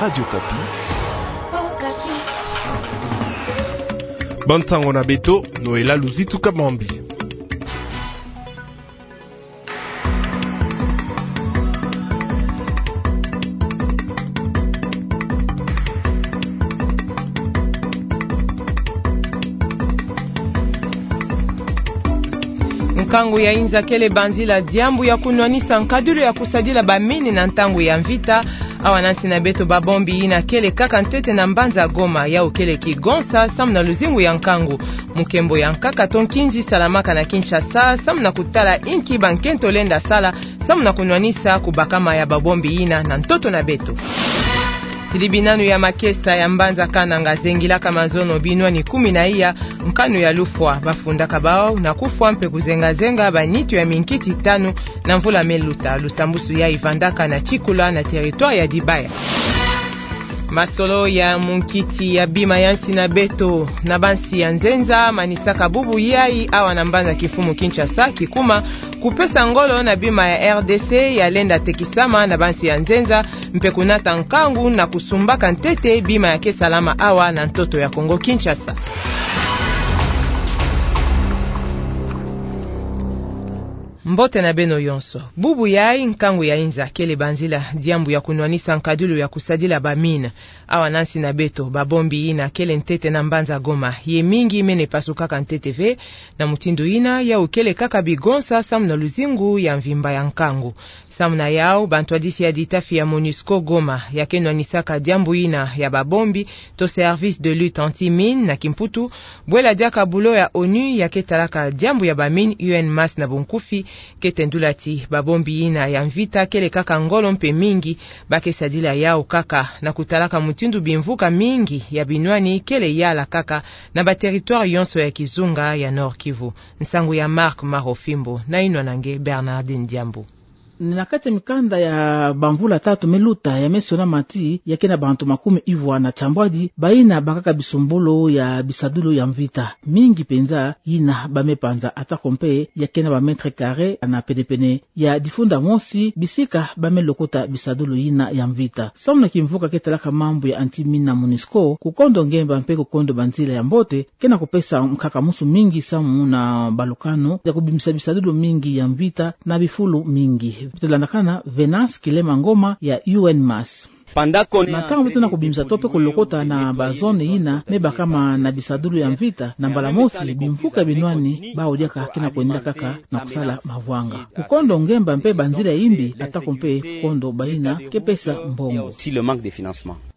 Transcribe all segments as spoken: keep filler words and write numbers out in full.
Radio Okapi. Ba ntangu na beto, Noëlla Luzitu Kamwambi. Nkangu ya inza kele banzila diambu ya kunwanisa nkadilu ya kusadila ba mine na ntangu ya mvita. Awa na nsi na beto ba bombi yina kele kaka ntete na mbanza Goma, yawu kele kigonsa samu na luzingu ya nkangu. Mukembo ya nkaka to nkinzi salamaka na Kinshasa samu na kutala inki ba nkento lenda sala samu na kunwanisa kubakama ya ba bombi yina na ntoto na beto. Silibi nanu ya makesa ya mbanza Kananga zengilaka mazono binwani kumi na iya, nkanu ya lufwa, bafundaka bawu na kufwa mpe kuzenga-zenga ba nitu ya minkiti tanu na mvula me luta. Lusambusu yayi vandaka na Tsikula na territoire ya Dibaya. Masolo ya munkiti ya bima ya nsi na beto na ba nsi ya nzenza manisaka bubu yayi awa na mbanza kimfumu Kinshasa kikuma kupesa ngolo na bima ya R D C ya lenda tekisama na ba nsi ya nzenza, mpe kunata nkangu na kusumbaka ntete bima ya ke salama awa na ntoto ya Kongo Kinshasa. Mbote na beno yonso. Bubu yayi nkangu ya inza kele banzila diambu ya kunwanisa nkadilu ya kusadila ba mine. Awa na nsi na beto, ba bombi yina kele ntete na mbanza Goma, ye mingi mene pasukaka ntete ve, na mutindu yina yawu kele kaka bigonsa samu na luzingu ya mvimba ya nkangu. Samu na yawu, bantwadisi ya ditafi ya MONUSCO Goma, ya ke nwanisaka diambu yina ya ba bombi, to Service de Lutte Anti-Mine na Kimputu, bwela diaka bulo ya ONU ya ke talaka diambu ya ba mine, U N mass na bunkufi, ke tendula ti ba bombi yina ya mvita kele kaka ngolo mpe mingi, ba ke sadila yawu kaka na kutalaka mutindu bimvuka mingi ya binwani kele yala kaka na ba territoire yonso ya kizunga ya Nord-Kivu. Nsangu ya Marc Marofimbo na yinwa na nge Bernardine Diambu. Na kati ya mikanda ya bamvula tatu me luta ya me sonama ti ya ke na bantu makumi ivwa na tiambwadi bayina bakaka bisumbulu ya bisadulu ya mvita. Mingi penza yina ba me panza, atako mpe ya ke na ba mètres carrés na pene-pene ya difunda mosi bisika ba me lokota bisadulu yina ya mvita. Samu na kimvuka ke talaka mambu ya anti-mine na MONUSCO, Kukondo Ngemba mpe Kukondo Banzila ya Mbote ke na kupesa nkaka musu mingi samu na balukanu ya kubimisa bisadulu mingi ya mvita na bifulu mingi. Kulandakana Venance Kilema Ngoma ya U N mass. Na ntangu beto na kubimisa to mpe kulokota na ba zone yina me bakama na bisadulu ya mvita, na mbala mosi bimvuka binwani bawu diaka ke na kwenda kaka na kusala mavwanga. Kukondo Ngemba mpe banzila ya imbi, atako mpe kukondo bayina ke pesa mbongo.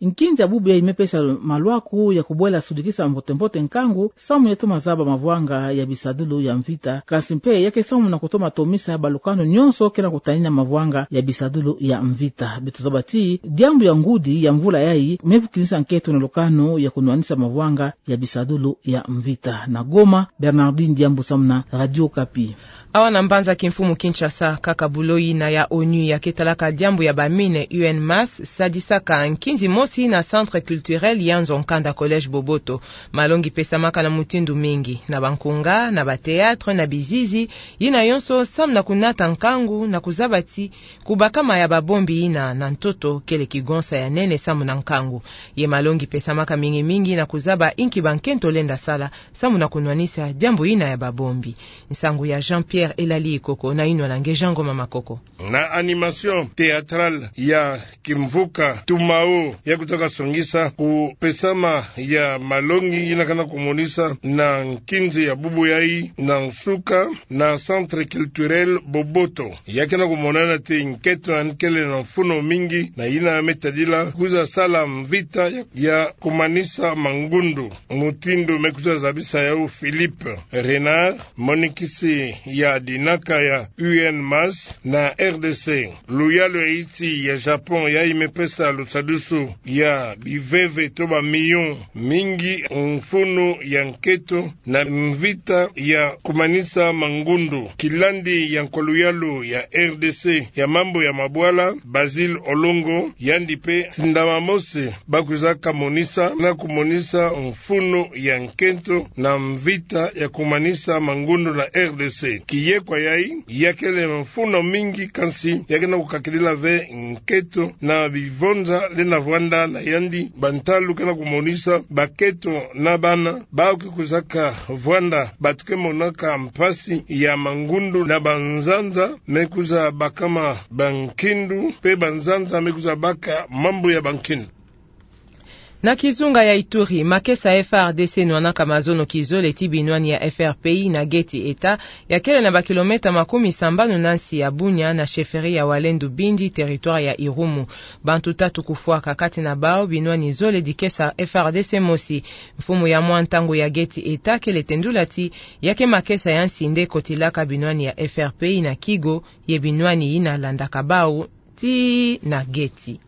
Nkinzi ya bubu yayi me pesa malwaku ya kubwela sudikisa mbote-mbote nkangu, samu ya toma zaba mavwanga ya bisadulu ya mvita, kansi mpe ya ke samu na kutoma tomisa balukanu nyonso ke na kutanina mavwanga ya bisadulu ya mvita. Beto zaba ti diambu ya ngudi ya mvula yayi me vukinisa nkento na lukanu ya kunwanisa mavwanga ya bisadulu ya mvita. Na Goma, Bernardine Diambu samu na Radio Okapi. Awa na mbanza kimfumu Kinshasa, kaka bulo yina ya ONU ya ke talaka diambu ya ba mine, U N mass, sadisaka nkinzi mosi na Centre Culturel Yanzo Nkanda Collège Boboto. Malongi pesamaka na mutindu mingi, na bankunga, na ba théâtre, na bizizi, yina yonso samu na kunata nkangu na kuzaba ti kubakama ya ba bombi yina na ntoto kele kigonsa ya nene samu na nkangu. Ye malongi pesamaka mingi-mingi na kuzaba inki ba nkento lenda sala samu na kunwanisa diambu yina ya ba bombi. Nsangu ya Jean-Pierre Elali Ikoko na yinwa na nge Jean Ngoma Makoko. Na animation théâtrale ya kimvuka Tumao ya kutaka songisa kupesama ya malongi yina ke na kumonisa na nkinzi ya bubu yayi na nsuka na Centre Culturel Boboto. Ya ke na kumonana ti nkento yandi kele na mfunu mingi na yina me tadila kwiza sala mvita ya, ya kumanisa mangundu, mutindu me kwiza zabisa yawu Philippe Renard, monikisi ya dinaka ya U N mass na R D C. Luyalu ya insi ya Japon yayi me pesa lusadusu ya biveve to ba millions mingi mfunu ya nkento na mvita ya kumanisa mangundu. Kilandi ya nkwa luyalu ya R D C ya mambu ya mabwala, Basil Olongo, yandi Mpe tindama mosi ba kwiza kamonisa na kumonisa mfunu ya nkento na mvita ya kumanisa mangundu na R D C. Kiye kwa yayi, ya kele mfunu mingi, kansi ya ke na kukakilila ve nkento na bivonza lenda vwanda na yandi. Bantalu ke na kumonisa bakento na bana bawu ke kwizaka vwanda, batu ke monaka mpasi ya mangundu na banzanza me kwiza bakama bankindu, mpe banzanza me kwiza baka mambu ya bankindu. Na kizunga ya Ituri, makesa F A R D C nwanaka mazono kizole ti binwani ya F R P I na Geti Eta, ya kele na bakilometa makumi sambanu na nsi ya Bunia, na chefferie ya Walendu Bindi, territoire ya Irumu. Bantu tatu kufwaka, kati na bawu binwani zole dikesa F A R D C mosi. Mfumu ya mwa ntangu ya Geti Eta kele tendula ti ya ke makesa ya nsi nde kotilaka binwani ya F R P I na Kigo, ye binwani yina landaka bawu tii na Geti.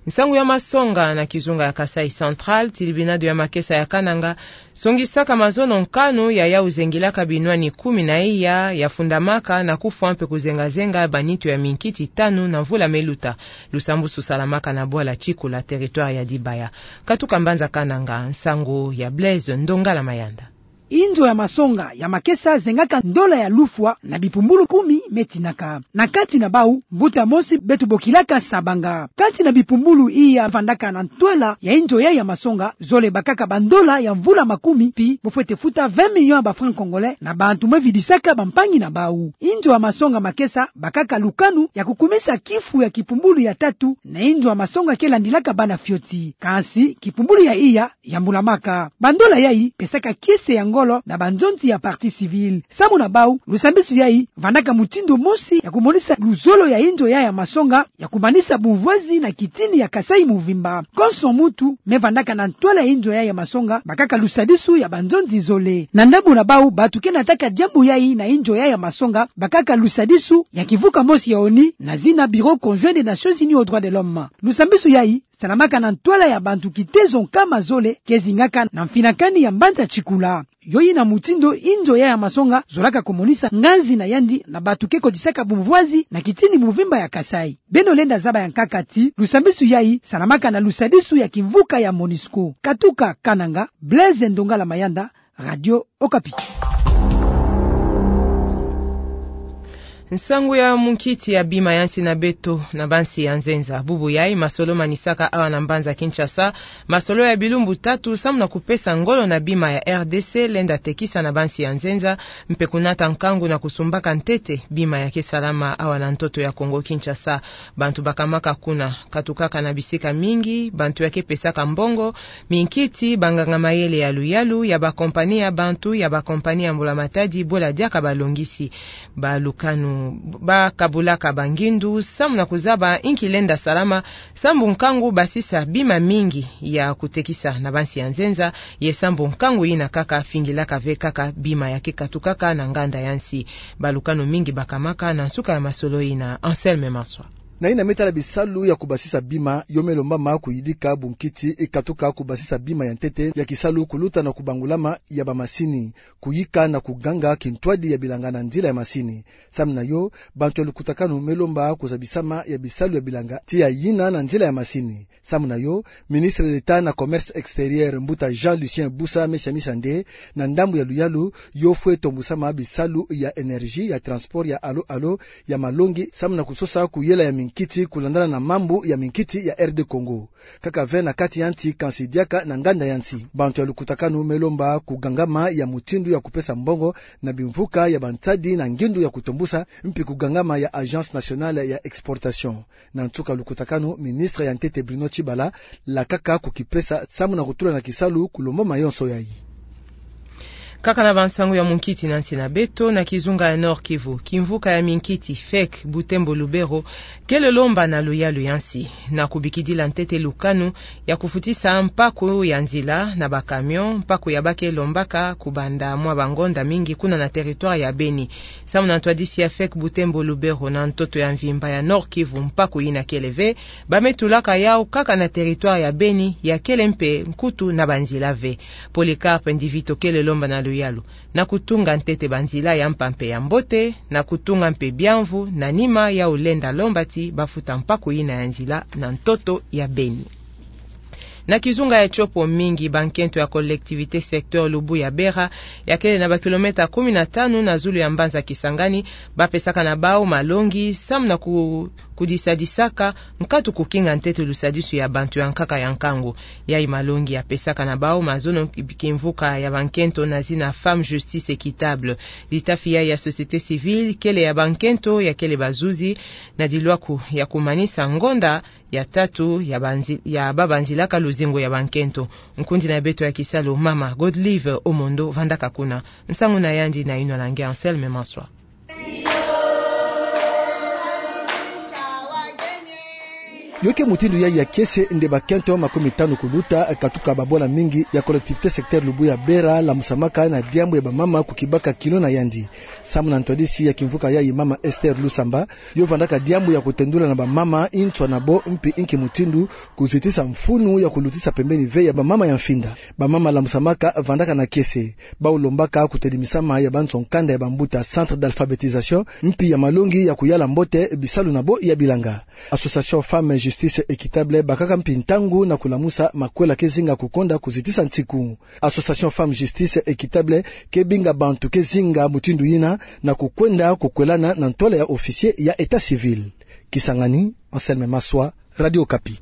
Nsangu ya masonga na kizunga ya Kasaï Central. Tilibinado ya makesa ya Kananga songisaka mazono nkanu ya yawu zengilaka binwani kumi na iya ya fundamaka na kufwa mpe kuzengazenga banitu ya minkiti tanu na mvula me luta. Lusambusu salamaka na bwala Tsikula, territoire ya Dibaya. Katuka mbanza Kananga, nsangu ya Blaise Ndongala Mayanda. Inzo ya masonga ya makesa zengaka ndola ya lufwa na bipumbulu kumi me tinaka. Na kati na bawu, mbuta mosi beto bokilaka Sabanga. Kati na bipumbulu iya vandaka na ntwala ya inzo yayi ya masonga, zole bakaka bandola ya mvula makumi, pi bofwete futa vingt millions ya ba francs congolais na bantu me vidisaka bampangi na bawu. Inzo ya masonga makesa bakaka lukanu ya kukumisa kifu ya kipumbulu ya tatu na inzo ya masonga ke landilaka bana fioti. Kansi kipumbulu ya iya yambulamaka. Bandola yayi pesaka kiese ya ngolo na banzonzi ya partie civile. Samu na bawu, lusambisu yayi vandaka mutindu mosi ya kumonisa luzolo ya inzo yayi ya masonga ya kumanisa bumvwazi na kitini ya Kasaï muvimba. Konso muntu me vandaka na ntwala ya inzo yayi ya masonga bakaka lusadisu ya banzonzi zole. Na ndambu na bawu, bantu ke nataka diambu yayi na inzo yayi ya masonga bakaka lusadisu ya kivuka mosi ya ONU na zina Bureau conjoint des Nations Unies aux droits de l'homme. Lusambisu yayi salamaka na ntwala ya bantu kitezo nkama zole ke zingaka na mfinakani ya mbanza Tsikula. Yo yina mutindu inzo yayi ya masonga zolaka kumonisa nganzi na yandi na bantu ke kotisaka bumvwazi na kitini muvimba ya Kasaï. Beno lenda zaba ya nkaka ti lusambisu yayi salamaka na lusadisu ya kimvuka ya MONUSCO. Katuka Kananga, Blaise Ndongala Mayanda, Radio Okapi. Nsangu ya munkiti ya bima ya nsi na beto na bansi ya nzenza. Bubu yayi masolo manisaka awa na mbanza Kinshasa, masolo ya bilumbu tatu samu na kupesa ngolo na bima ya R D C lenda tekisa na bansi ya nzenza, mpe kunata nkangu na kusumbaka ntete bima ya ke salama awa na ntoto ya Kongo Kinshasa. Bantu bakamaka kuna, katukaka na bisika mingi, bantu ya ke pesaka mbongo, minkiti, banganga mayele ya luyalu, ya bakompani ya bantu, ya bakompani ya mbula matadi, bwela diaka balongisi. Balukanu bakabulaka bangindu samu na kuzaba inki lenda salama, sambu nkangu basisa bima mingi ya kutekisa na bansi ya nzenza, ye sambu nkangu yina kaka fingilaka ve kaka bima ya ke katukaka na nganda ya nsi. Balukanu mingi bakamaka na nsuka ya masolo yina. Anselme Maswa. Na yina me tala bisalu ya kubasisa bima, yo me lombama kuyidika bunkiti ikatuka kubasisa bima ya ntete ya kisalu, kuluta na kubangulama ya bamasini, kuyika na kuganga kintwadi ya bilanga na nzila ya masini. Samu na yo, bantu ya lukutakanu me lomba kuzabisama ya bisalu ya bilanga tiya yina na nzila ya masini. Samu na yo, ministre d'État na commerce extérieur, mbuta Jean Lucien Busa, me siamisa nde, na ndambu ya luyalu, yo fwe tombusama bisalu ya énergie, ya transport, ya alo alo, ya malongi, samu na kusosa kuyela ya minkiti kulandana na mambu ya minkiti ya R D Congo. Kaka ve na kati ya nsi, kansi diaka na nganda ya nsi. Bantu ya lukutakanu me lomba kugangama ya mutindu ya kupesa mbongo na bimvuka ya bansadi na ngindu ya kutombusa, mpi kugangama ya Agence Nationale ya Exportation. Na nsuka lukutakanu, ministre ya ntete Bruno Tshibala lakaka kukipesa samu na kutula na kisalu kulombama yonso yayi. Kaka na bansangu ya munkiti na nsi na beto, na kizunga ya Nord-Kivu, kimvuka ya minkiti, fek, Butembo, Lubero, kele lomba na luyalu ya nsi na kubikidila ntete lukanu ya kufutisa mpaku ya nzila na bacamion, mpaku ya ba ke lombaka kubanda mwa bangonda mingi kuna na territoire ya Beni. Samu na ntwadisi ya fek Butembo, Lubero na ntoto ya mvimba ya Nord-Kivu, mpaku yina kele ve, ba me tulaka yawu kaka na territoire ya Beni, ya kele mpe nkutu na banzila ve. Polycarpe Ndivito kele lomba na yalu, na kutunga ntete banzila ya mpampe ya mbote, na kutunga mpe biamvu, na nima yau lenda lomba ti bafuta mpaku yina ya nzila na ntoto ya beni. Na kizunga ya Tshopo, mingi bankento ya collectivité secteur Lubu ya Bera, ya kele na bakilomètre kumi na tanu na zulu ya mbanza Kisangani, bapesaka na bau malongi samu na ku-, kudisadisaka nkatu kukinga ntete lusadisu ya bantu ya nkaka ya nkangu. Yai malongi ya pesaka na bau mazono ki-, kimvuka ya bankento na zina Femmes Justice Équitable. Litafi yai ya société civile kele ya bankento ya kele bazuzi na dilwaku ya kumanisa ngonda ya tatu ya banzi-, ya babanzilaka luzingu ya bankento. Nkundi na beto ya kisalu, mama Godlive Omondo, vandaka kuna. Nsangu na yandi na inwa na nge Anselme Maswa. Yo ke mutindu yai ya kiese nde bakento makumi tanu kuluta, katuka babwala mingi ya collectivité secteur Lubu ya Bera lamusamaka na diambu ya bamama kukibaka kilo na yandi. Samu na ntwadisi ya kimvuka yai, mama Esther Lusamba, yo vandaka diambu ya kutendula na bamama nswa na bo mpi nki mutindu kuzitisa mfunu ya kulutisa pembeni ve ya bamama ya mfinda. Bamama lamusamaka vandaka na kiese. Bau lombaka kutelimisama ya banzo nkanda ya bambuta, centre d'alphabétisation, mpi ya malongi ya kuyala mbote bisalu na bo ya bilanga. Association Femmes Justice Équitable bakaka mpi ntangu na kulamusa makwela ke zinga kukonda kuzitisa nsiku. Association Femmes Justice Équitable ke binga bantu ke zinga mutindu yina na kukwenda kukwelana na ntwala ya officier ya état civil. Kisangani, Anselme Maswa, Radio Okapi.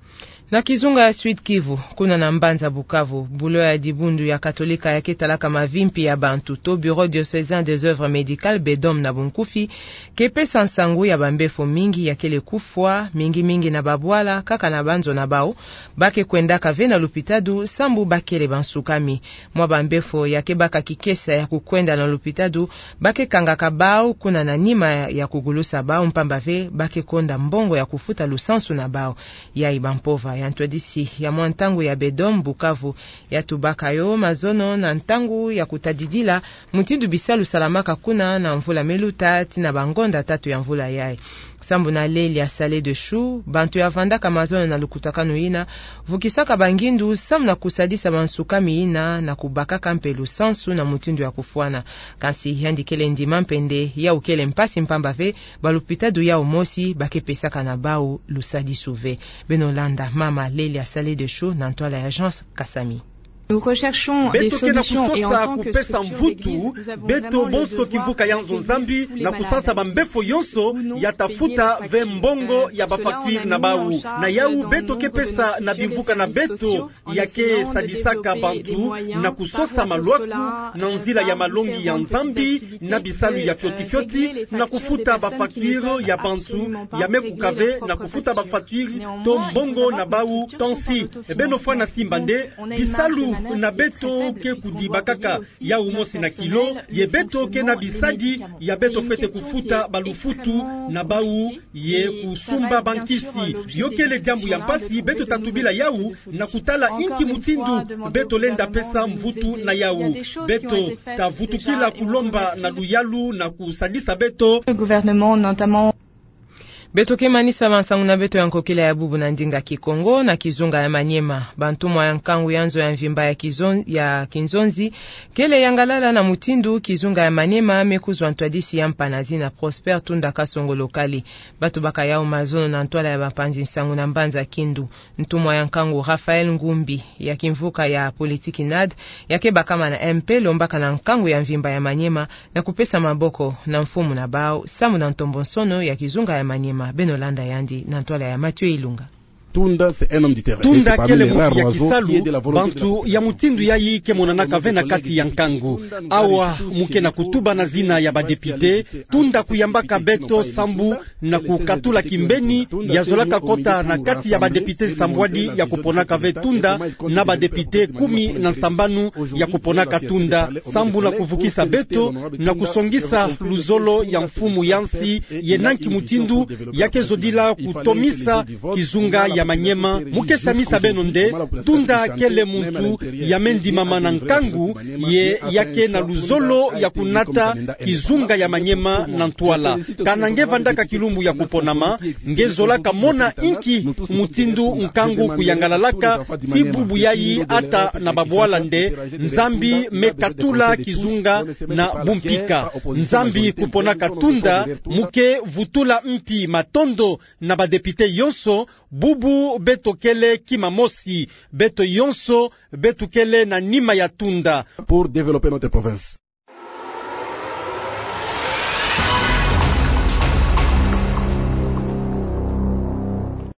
Na kizunga ya Sud-Kivu, kuna na mbanza Bukavu, bulo ya dibundu ya Katolika ya ke talaka mavimpi ya bantu, to Bureau diocésain des œuvres médicales, BEDOM na bunkufi, ke pesa nsangu ya bambefo mingi ya kele kufwa, mingi mingi na babwala, kaka na banzo na bau, ba ke kwendaka ve na lupitadu sambu ba kele bansukami. Mwa bambefo ya ke baka kikesa ya kukwenda na lupitadu, ba ke kangaka bau kuna na nima ya kugulusa bau, mpamba ve ba ke konda mbongo ya kufuta lusansu na bau. Yai bampova ya ntwadisi ya mwa ntangu ya BEDOM Bukavu ya tubaka yo mazono na ntangu ya kutadidila mutindu bisalu salamaka kuna na mvula me luta tii na bangonda tatu ya mvula yai. Sambu na Lelia Saleh Deschou, bantu ya vandaka mazono na lukutakanu yina vukisaka bangindu samu na kusadisa bansukami yina na kubakaka mpe lusansu na mutindu ya kufwana. Kansi yandi kele ndima mpe nde yau kele mpasi, mpamba ve balupitadu yau mosi ba ke pesaka na bau lusadisu ve. Beno landa mama Lelia Saleh Deschou na ntwala ya Agence Kasami. Beto ke na kusosa kupesa mvutu, beto bonso kimvuka ya nzo Nzambi, na kusansa bambefo yonso ya ta futa ve mbongo ya bafacture na bau. Na yau beto ke pesa na bimvuka na beto ya ke sadisaka bantu na kusosa malwaku na nzila ya malongi ya Nzambi na bisalu ya fioti fioti, na kufuta bafacture ya bantu ya me kuka ve na kufuta bafacture to mbongo na bau. Tansi beno fwana simba nde bisalu na beto ke kudibakaka yau mosi na kilo, ye beto ke na bisadi ya beto fwete kufuta balufutu na bau ye kusumba bankisi. Yo kele diambu ya mpasi, beto ta tubila yau na kutala inki mutindu beto lenda pesa mvutu na yau. Beto ta vutukila kulomba na luyalu na kusadisa beto. Le gouvernement, notamment. Beto ke manisa bansangu na beto ya nkokila ya bubu na ndinga Kikongo na kizunga ya Maniema. Bantumwa ya nkangu ya nzo ya mvimba ya kizon-, ya kinzonzi kele yangalala na mutindu kizunga ya Maniema me kuzwa ntwadisi ya mpangi na zina Prosper Tunda Kasongo Lokali. Ba tubaka yau mazono na ntwala ya bapanzi nsangu na mbanza Kindu. Ntumwa ya nkangu Raphaël Ngumbi ya kimvuka ya politiki NAD, ya ke bakama na MP, lombaka na nkangu ya mvimba ya Maniema na kupesa maboko na mfumu na bau sambu na ntombonsono ya kizunga ya Maniema. Beno landa yandi na ntwala ya Mathieu Ilunga. Tunda, c'est un homme du terrain. Tunda kele muntu ya kisalu, bantu ya mutindu yai ke monanaka ve na kati ya nkangu. Awa mu ke na kutuba na zina ya badepite, Tunda kuyambaka beto sambu na kukatula kimbeni, ya zolaka kota na kati ya badepite nsambwadi ya kuponaka ve Tunda, na badepite kumi na nsambanu ya kuponaka Tunda, sambu na kuvukisa beto na kusongisa luzolo ya mfumu ya nsi, ye na nki mutindu ya ke zodila kutomisa kizunga ya Maniema, mu ke samisa beno nde, Tunda kele muntu ya me ndimama na nkangu, ye ya ke na luzolo ya kunata kizunga ya Maniema na ntwala. Kana nge vandaka kilumbu ya kuponama, nge zolaka mona inki mutindu nkangu kuyangalalaka, ti bubu yayi ata na babwala nde, Nzambi me katula kizunga na bumpika. Nzambi kuponaka Tunda, mu ke vutula mpi matondo na ba députés yonso, bubu beto kele kima mosi, beto yonso, beto kele na nima ya Tunda. Pour développer notre province.